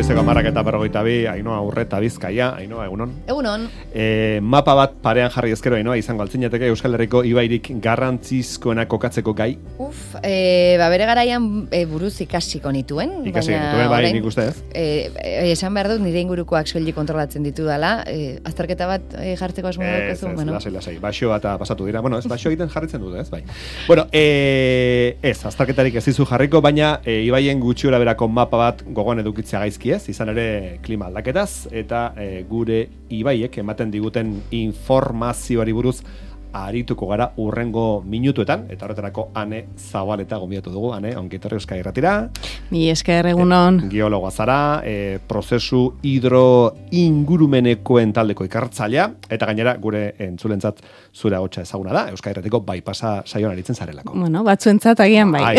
Goizeko 10:42, Ainhoa Urreta Bizkaia, Ainhoa, egunon. Egunon. Mapa bat parean jarri ezkero, Ainhoa, izango altzinateke Euskal Herriko ibairik garrantzizkoena kokatzeko gai. Bere garaian buruz ikasiko nituen. Bai, nik uste ez. Esan behar dut, nire ingurukoak soilik kontrolatzen ditu dela. Azterketa bat jartzeko asmo daukazu. Lasai. Baxoa eta pasatu dira. Bueno, ez baxo egiten jarritzen dute, ez bai. Bueno, ez, azterketarik ez dizu jarriko, baina ibaien gutxiora berako mapa bat gogoan edukitzea gaizki ez, izan ere klima aldaketaz, eta gure ibaiek ematen diguten informazioari buruz arituko gara urrengo minutuetan, eta horretarako Ane Zabaleta gonbidatu dugu. Ane, ongi etorri Euskadi Irratira. Mi esker, egunon. Geologoa zara, prozesu hidroingurumenekoen taldeko ikertzailea, eta gainera gure entzulentzat zure ahotsa ezaguna da, Euskadi Irratiko bypassa saioan aritzen zarelako. Bueno, batzuentzat agian bai.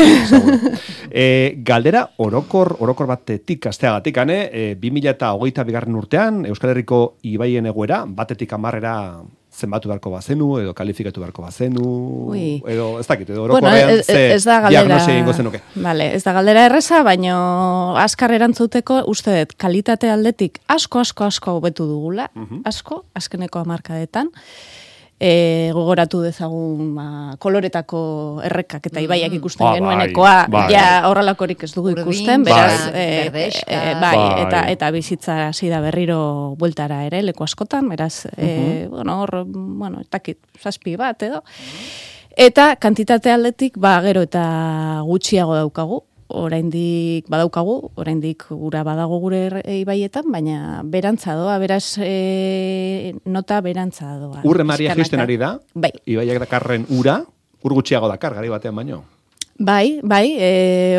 Galdera orokor batetik asteagatik, Ane, 2022 urtean Euskal Herriko ibaien egoera batetik 10 zenbatu beharko bazenu, edo kalifikatu beharko bazenu, edo ez dakit, edo orokorrean diagnosia egingo zenuke. Vale, ez da galdera erreza, baino askar erantzuteko uste dut kalitate aldetik asko hobetu dugula, asko, azkeneko 10 hamarkadetan. Gogoratu dezagun koloretako errekak eta ibaiak ikusten genuenekoa, ja horrelakorik ez dugu ikusten, beraz, eta bizitza hasi da berriro bueltara ere, leku askotan, beraz, etakit, 7 bat edo. Eta kantitate aldetik, gero eta gutxiago daukagu, oraindik ura badago gure ibaietan, baina berantza doa, beraz nota berantza doa. Urre Maria jaisten ari da, bai. Ibaiak dakarren ur gutxiago dakar, gari batean baino. Bai,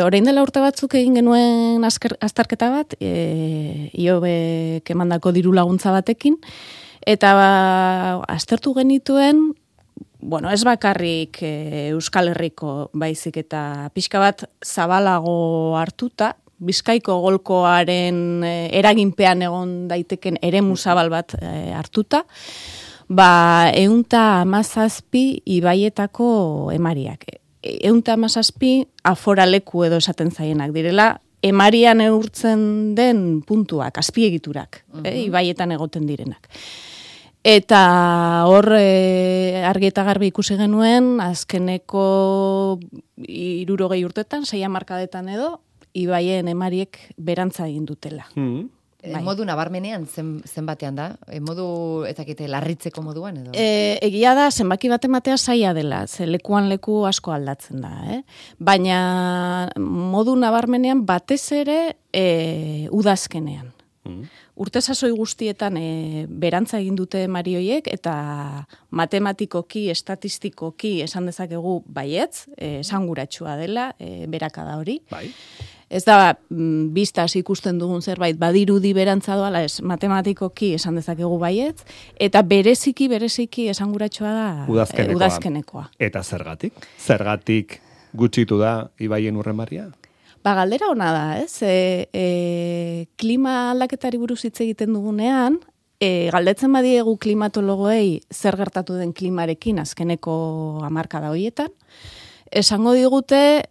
orain dela urte batzuk egin genuen azterketa bat, IOBek emandako diru laguntza batekin, eta aztertu genituen, ez bakarrik Euskal Herriko baizik eta pixka bat zabalago hartuta, Bizkaiko golkoaren eraginpean egon daiteken eremu zabal bat hartuta, 117 ibaietako emariak. 117 aforaleku edo esaten zaienak direla, emarian neurtzen den puntuak, azpiegiturak, ibaietan egoten direnak. Eta hor argi eta garbi ikusi genuen, azkeneko 60 urtetan, 6 hamarkadetan edo, ibaien emariek berantza egin dutela. Modu nabarmenean zenbatean da? Modu, ezakite, larritzeko moduan edo? Egia da, zenbaki bat ematea zaila dela, ze lekuan leku asko aldatzen da. Baina modu nabarmenean batez ere udazkenean. Urte sasoi guztietan berantza egin dute marioiek eta matematikoki, estatistikoki esan dezakegu baietz, esanguratsua dela, berakada hori. Bai. Ez da, biztaz ikusten dugun zerbait badirudi berantza doala, matematikoki esan dezakegu baietz, eta bereziki esanguratsua da udazkenekoa. Eta zergatik? Zergatik gutxitu da ibaien urremarria? Galdera ona da, ez? Klima aldaketari buruz hitz egiten dugunean, galdetzen badiegu klimatologoei zer gertatu den klimarekin azkeneko hamarkada horietan, esango digute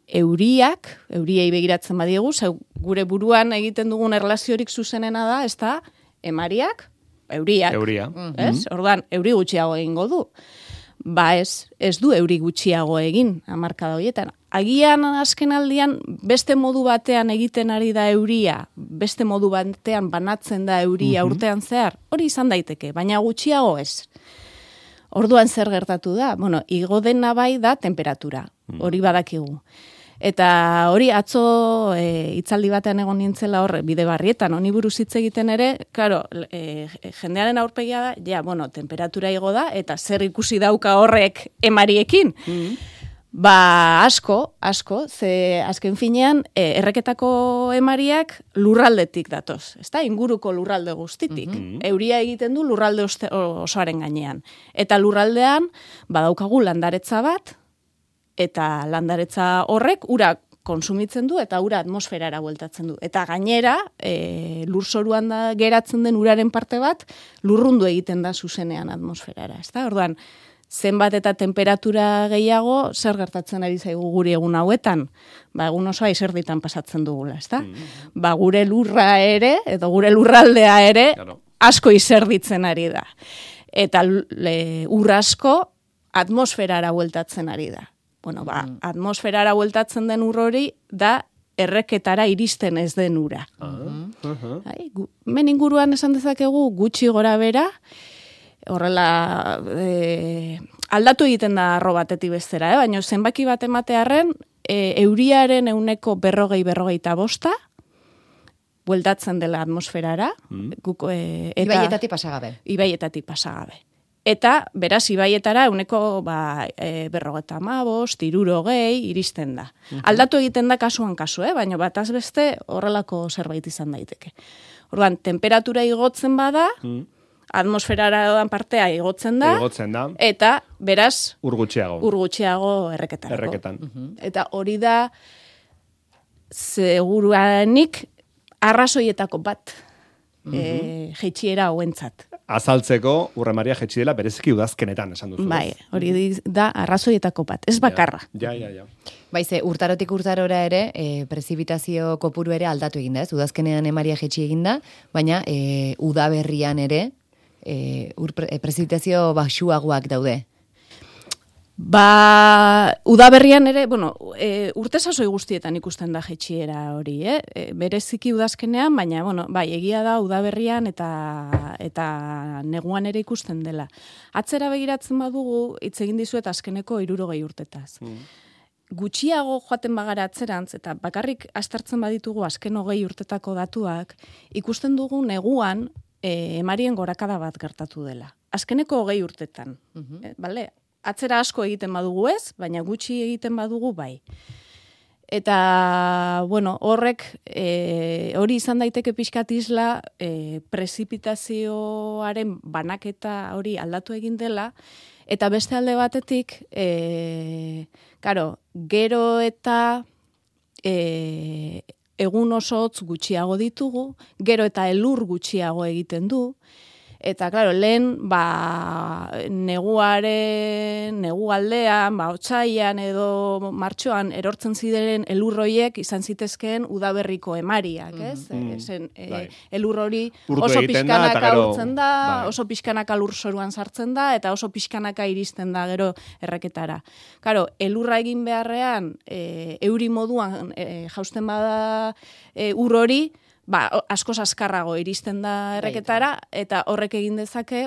euriei begiratzen badiegu, gure buruan egiten dugun erlaziorik zuzenena da, ez da, emariak, euriak. Orduan, euri gutxiago egingo du. Ez du euri gutxiago egin hamarkada horietan. Agian azken aldian beste modu batean egiten ari da euria, beste modu batean banatzen da euria urtean zehar, hori izan daiteke, baina gutxiago ez. Orduan zer gertatu da? Igo dena bai da temperatura, hori badakigu. Eta hori atzo hitzaldi batean egon nintzela hor Bidebarrietan, honi buruz hitz egiten ere, claro, jendearen aurpegia da, temperatura igo da, eta zer ikusi dauka horrek emariekin. Asko, ze azken finean, erreketako emariak lurraldetik datoz, ezta? Inguruko lurralde guztitik. Euria egiten du lurralde osoaren gainean. Eta lurraldean, badaukagu landaretza bat, eta landaretza horrek ura konsumitzen du eta ura atmosferara bueltatzen du. Eta gainera, lurzoruan geratzen den uraren parte bat, lurrundu egiten da zuzenean atmosferara, ezta? Orduan, zenbat eta temperatura gehiago, zer gertatzen ari zaigu guri egun hauetan? Egun osoa izerditan pasatzen dugula, ezta? Gure lurra ere, edo gure lurraldea ere, asko izerditzen ari da. Eta ur asko atmosferara bueltatzen ari da. Atmosferara bueltatzen den ur hori da erreketara iristen ez den ura. Men inguruan esan dezakegu gutxi gora bera, horrela aldatu egiten da arro batetik bestera, baina zenbaki bat ematearren euriaren 40-45 bueltatzen dela atmosferara. Ibaietatik pasagabe. Ibaietatik pasagabe. Eta, beraz, ibaietara 50-55, 60 iristen da. Aldatu egiten da kasuan kasu, baina bataz beste horrelako zerbait izan daiteke. Orduan, temperatura igotzen bada, atmosferara doan partea igotzen da, eta, beraz, ur gutxiago erreketan. Eta hori da, seguruanik, arrazoietako bat, jeitxiera hauentzat. Azaltzeko, Urre Maria jetxi dela bereziki udazkenetan, esan duzu. Bai, hori da arrazoietako bat, ez bakarra. Ja. Baize, urtarotik urtarora ere, prezipitazio kopuru ere aldatu eginda, ez? Udazkenean emaria jetxi eginda, baina udaberrian ere, prezipitazio baxuagoak daude. Udaberrian ere, urte sasoi guztietan ikusten da jetxiera hori, bereziki udazkenean, baina, egia da udaberrian eta neguan ere ikusten dela. Atzera begiratzen badugu, hitz egin dizuet azkeneko 60 urtetaz. Gutxiago joaten bagara atzerantz, eta bakarrik aztertzen baditugu azken 20 urtetako datuak, ikusten dugu neguan emarien gorakada bat gertatu dela. Azkeneko 20 urtetan, bale? Atzera asko egiten badugu ez, baina gutxi egiten badugu bai. Eta, horrek, hori izan daiteke pixkat isla, prezipitazioaren banaketa hori aldatu egin dela, eta beste alde batetik, gero eta egun osotz gutxiago ditugu, gero eta elur gutxiago egiten du, eta, lehen, negu aldean, otsailean edo martxoan erortzen ziren elurroiek izan zitezkeen udaberriko emariak, ez? Elur hori oso pixkanaka urtzen da, oso pixkanaka lurzoruan sartzen da, eta oso pixkanaka iristen da gero erreketara. Elurra egin beharrean, euri moduan jausten bada ur hori, asko azkarrago iristen da erreketara, eta horrek egin dezake,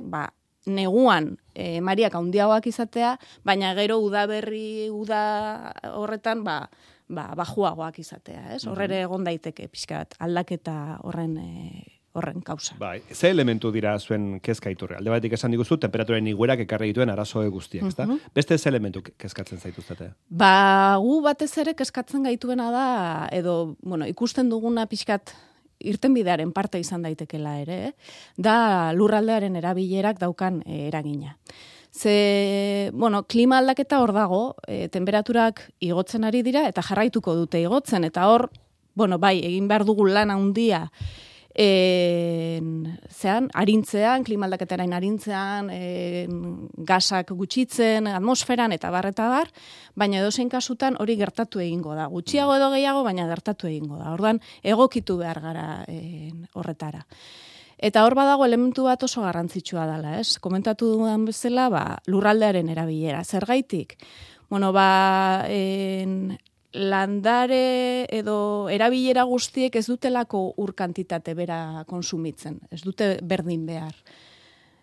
neguan emariak handiagoak izatea, baina gero uda horretan, bajuagoak izatea, ez? Horrere egon daiteke pixkat aldaketa horren kausa. Ze elementu dira zuen kezkaiturre? Alde batetik esan diguzu, temperaturen iguerak ekarri dituen arazoe guztiak, ezta? Beste ze elementu kezkatzen zaituztete? Gu batez ere kezkatzen gaituena da, edo, ikusten duguna pixkat irtenbidearen parte izan daitekela ere, da lurraldearen erabilerak daukan eragina. Klima aldaketa hor dago, temperaturak igotzen ari dira, eta jarraituko dute igotzen, eta hor, egin behar dugu lan handia, arintzean, klima aldaketaren arintzean, gasak gutxitzen, atmosferan, eta bar, baina edozein kasutan hori gertatu egingo da. Gutxiago edo gehiago, baina gertatu egingo da. Orduan, egokitu behar gara horretara. Eta hor badago elementu bat oso garrantzitsua dela, ez? Komentatu dudan bezala, lurraldearen erabilera. Zergaitik? Landare edo erabilera guztiek ez dutelako ur kantitate bera konsumitzen, ez dute berdin behar.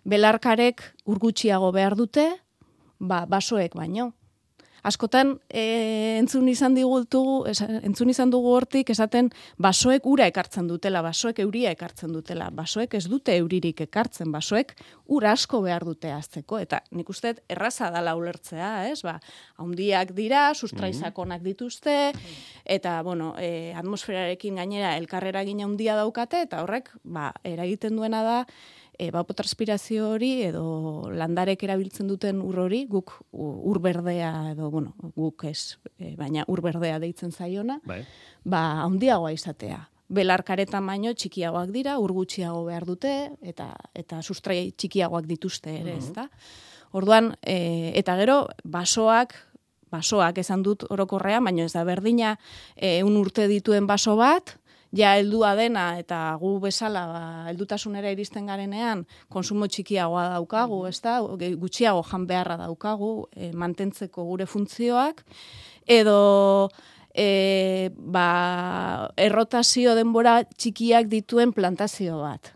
Belarkarek ur gutxiago behar dute, basoek baino. Askotan entzun izan dugu hortik esaten basoek ura ekartzen dutela, basoek euria ekartzen dutela, basoek ez dute euririk ekartzen, basoek ur asko behar dute azteko, eta nik uste erraza dala ulertzea, ez? Handiak dira, sustraizakonak dituzte, eta, atmosferarekin gainera elkarrera gina handia daukate, eta horrek, eragiten duena da, evapotranspirazio hori edo landarek erabiltzen duten ur hori, guk ur berdea edo, guk ez, baina ur berdea deitzen zaiona, handiagoa izatea. Belarkaretan baino txikiagoak dira, ur gutxiago behar dute, eta sustrai txikiagoak dituzte ere, ezta? Orduan, eta gero, basoak esan dut orokorrean, baina ez da berdina, 1 urte dituen baso bat, ja heldua dena eta gu bezala heldutasunera iristen garenean konsumo txikiagoa daukagu, ezta? Gutxiago jan beharra daukagu mantentzeko gure funtzioak edo errotazio denbora txikiak dituen plantazio bat.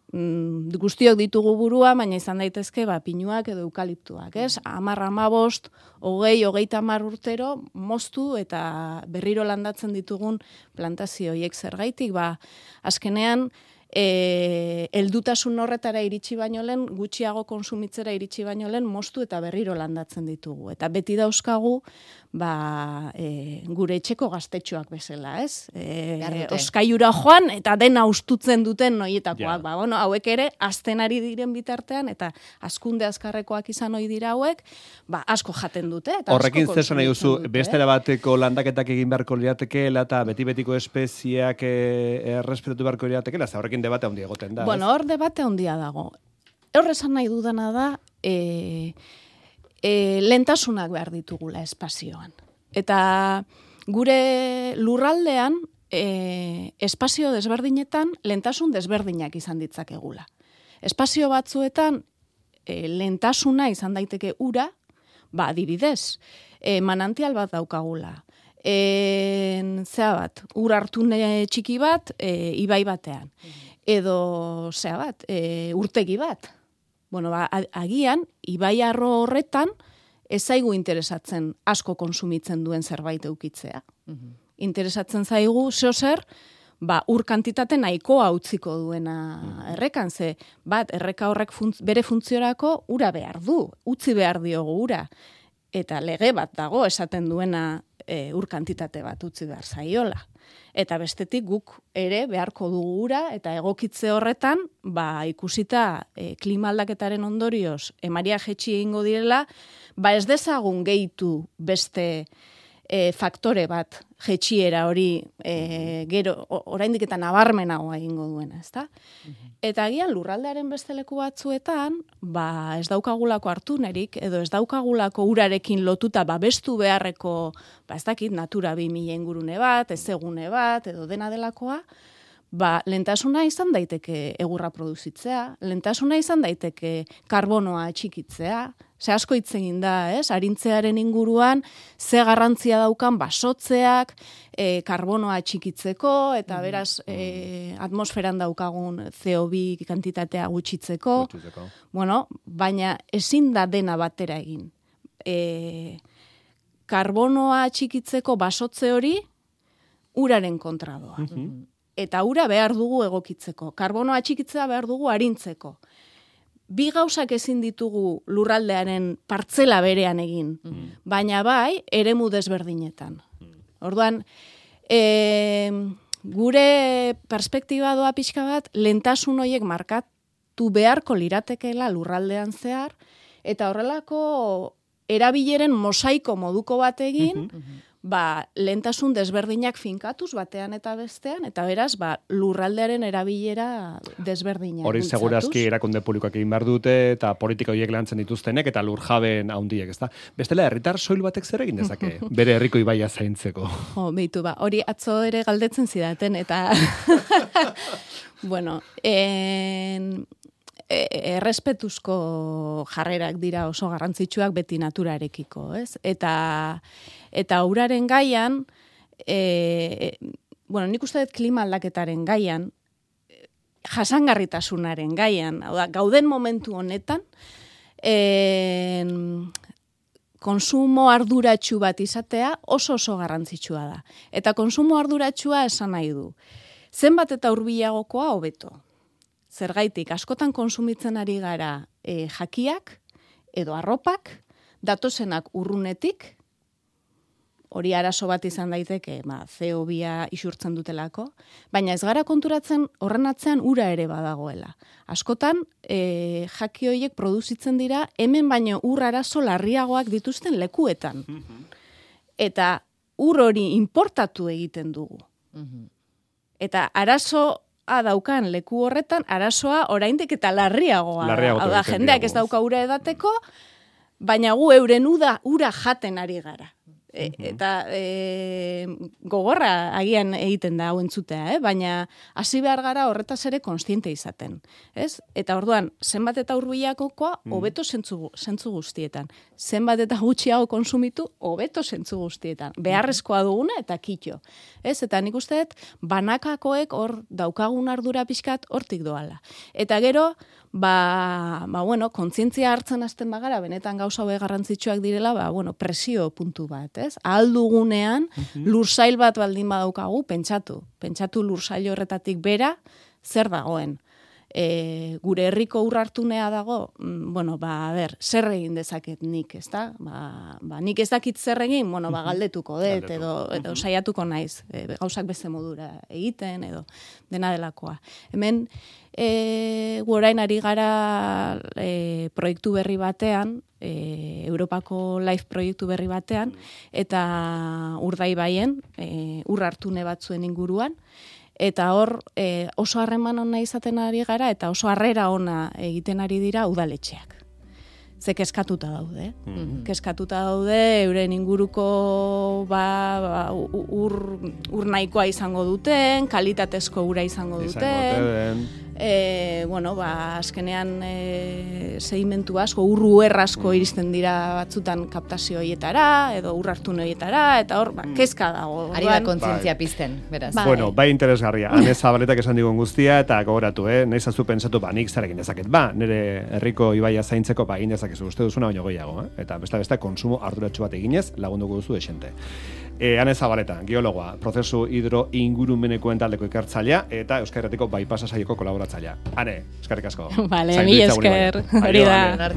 Guztiok ditugu burua, baina izan daitezke pinuak edo eukaliptuak, ez? 10, 15, 20, 30 urtero moztu eta berriro landatzen ditugun plantazio horiek zergaitik, azkenean heldutasun horretara iritsi baino lehen, gutxiago konsumitzera iritsi baino lehen moztu eta berriro landatzen ditugu. Eta beti dauzkagu gure etxeko gaztetxoak bezala, ez? Oskaiura joan eta dena ustutzen duten noietakoak. Hauek ere, azten ari diren bitartean eta azkunde azkarrekoak izan ohi dira hauek, asko jaten dute. Horrekin zesan nahi duzu, bestera bateko landaketak egin beharko liratekeela eta beti-betiko espeziak errespetatu beharko liratekeela, horrekin debate handia egoten da. Hor debate handia dago. Hor esan nahi dudana da, lentasunak behar ditugula espazioan. Eta gure lurraldean, espazio desberdinetan, lentasun desberdinak izan ditzakegula. Espazio batzuetan, lentasuna izan daiteke ura, adibidez, manantial bat daukagula. Ur hartune txiki bat, ibai batean. Edo, urtegi bat. Agian, ibai arro horretan, ez zaigu interesatzen asko konsumitzen duen zerbait eukitzea. Interesatzen zaigu, zer, ur kantitate nahikoa utziko duena errekan, erreka horrek bere funtziorako ura behar du, utzi behar diogu ura. Eta lege bat dago esaten duena ur kantitate bat utzi behar zaiola. Eta bestetik guk ere beharko dugu ura eta egokitze horretan, ikusita klima aldaketaren ondorioz emaria jetxi egingo direla, ez dezagun gehitu beste faktore bat jetxiera hori gero oraindik eta nabarmenagoa egingo duena, ezta? Eta agian lurraldearen beste leku batzuetan, ez daukagulako hartunerik edo ez daukagulako urarekin lotuta babestu beharreko, ez dakit, Natura 2000 ingurune bat, ezegune bat edo dena delakoa, lentasuna izan daiteke egurra produzitzea, lentasuna izan daiteke karbonoa txikitzea, ze asko hitz egin da, arintzearen inguruan, ze garrantzia daukan basotzeak, karbonoa txikitzeko, eta beraz atmosferan daukagun CO2 kantitatea gutxitzeko. Baina ezin da dena batera egin. Karbonoa txikitzeko basotze hori uraren kontra doa. Eta ura behar dugu egokitzeko. Karbonoa txikitzea behar dugu arintzeko. Bi gauzak ezin ditugu lurraldearen partzela berean egin, baina eremu desberdinetan. Orduan, gure perspektiba doa pixka bat, lentasun horiek markatu beharko liratekeela lurraldean zehar, eta horrelako erabileren mosaiko moduko bat egin, lentasun desberdinak finkatuz batean eta bestean, eta beraz, lurraldearen erabilera desberdina. Hori segurazki erakunde publikoak egin behar dute, eta politika horiek lantzen dituztenek, eta lurjabeen handiek, ezta? Bestela, herritar soil batek zer egin dezake, bere herriko ibaia zaintzeko. Beitu, hori atzo ere galdetzen zidaten, eta errespetuzko jarrerak dira oso garrantzitsuak beti naturarekiko, ez? Eta uraren gaian, nik uste dut klima aldaketaren gaian, jasangarritasunaren gaian, gauden momentu honetan, konsumo arduratsu bat izatea oso garrantzitsua da. Eta konsumo arduratsua esan nahi du. Zenbat eta hurbilagokoa hobeto. Zergaitik, askotan konsumitzen ari gara jakiak edo arropak, datozenak urrunetik, hori arazo bat izan daiteke, CO2 isurtzen dutelako, baina ez gara konturatzen horren atzean ura ere badagoela. Askotan, jaki horiek produzitzen dira, hemen baino ur arazo larriagoak dituzten lekuetan. Eta ur hori importatu egiten dugu. Eta arazo daukan leku horretan, arazoa oraindik eta larriagoa. Hau da, jendeak ez dauka ura edateko, baina gu euren ura jaten ari gara. Eta gogorra agian egiten da hau entzutea, baina hasi behar gara horretaz ere konstiente izaten. Ez? Eta orduan, zenbat eta hurbilakokoa, hobeto zentzu guztietan. Zenbat eta gutxiago konsumitu, hobeto zentzu guztietan. Beharrezkoa duguna eta kitxo. Ez? Eta nik uste dut, banakakoek hor daukagun ardura pixkat hortik doala. Eta gero, bueno, kontzientzia hartzen hasten bagara, benetan gauza hauek garrantzitsuak direla, presio puntu bat, ez? Ahal dugunean, lursail bat baldin badaukagu, pentsatu lursail horretatik bera, zer dagoen. Gure herriko urrartunea dago, zer egin dezaket nik, ezta? Nik ez dakit zer egin, galdetuko dut, edo saiatuko naiz, gauzak beste modura egiten, edo dena delakoa. Hemen, gu orain ari gara proiektu berri batean, Europako Life proiektu berri batean, eta Urdaibaien, urrartune batzuen inguruan, eta hor oso harreman ona izaten ari gara, eta oso harrera ona egiten ari dira udaletxeak. Ze keskatuta daude. Keskatuta daude, euren inguruko ur nahikoa izango duten, kalitatezko ura izango duten. Azkenean sedimentu asko, urruer asko iristen dira batzutan kaptazio horietara, edo urrartun horietara, eta hor, kezka dago. Ari da kontzientzia pizten, beraz. Bueno, bai interesgarria. Ane Zabaletak esan digun guztia, eta gogoratu, nahiz azu pentsatu, nik zarekin dezaket. Nire herriko ibaia zaintzeko, egin dezakezu, uste duzuna baino gehiago, eta beste konsumo arduratsu bat eginez, lagunduko duzu esente. Ane Zabaleta, geologoa, prozesu hidroingurumenekoen taldeko ikertzailea, eta Euskal Herritiko Bypassa saioko kolaboratzailea. Ane, eskerrik asko. Vale, mi esker. Hori da.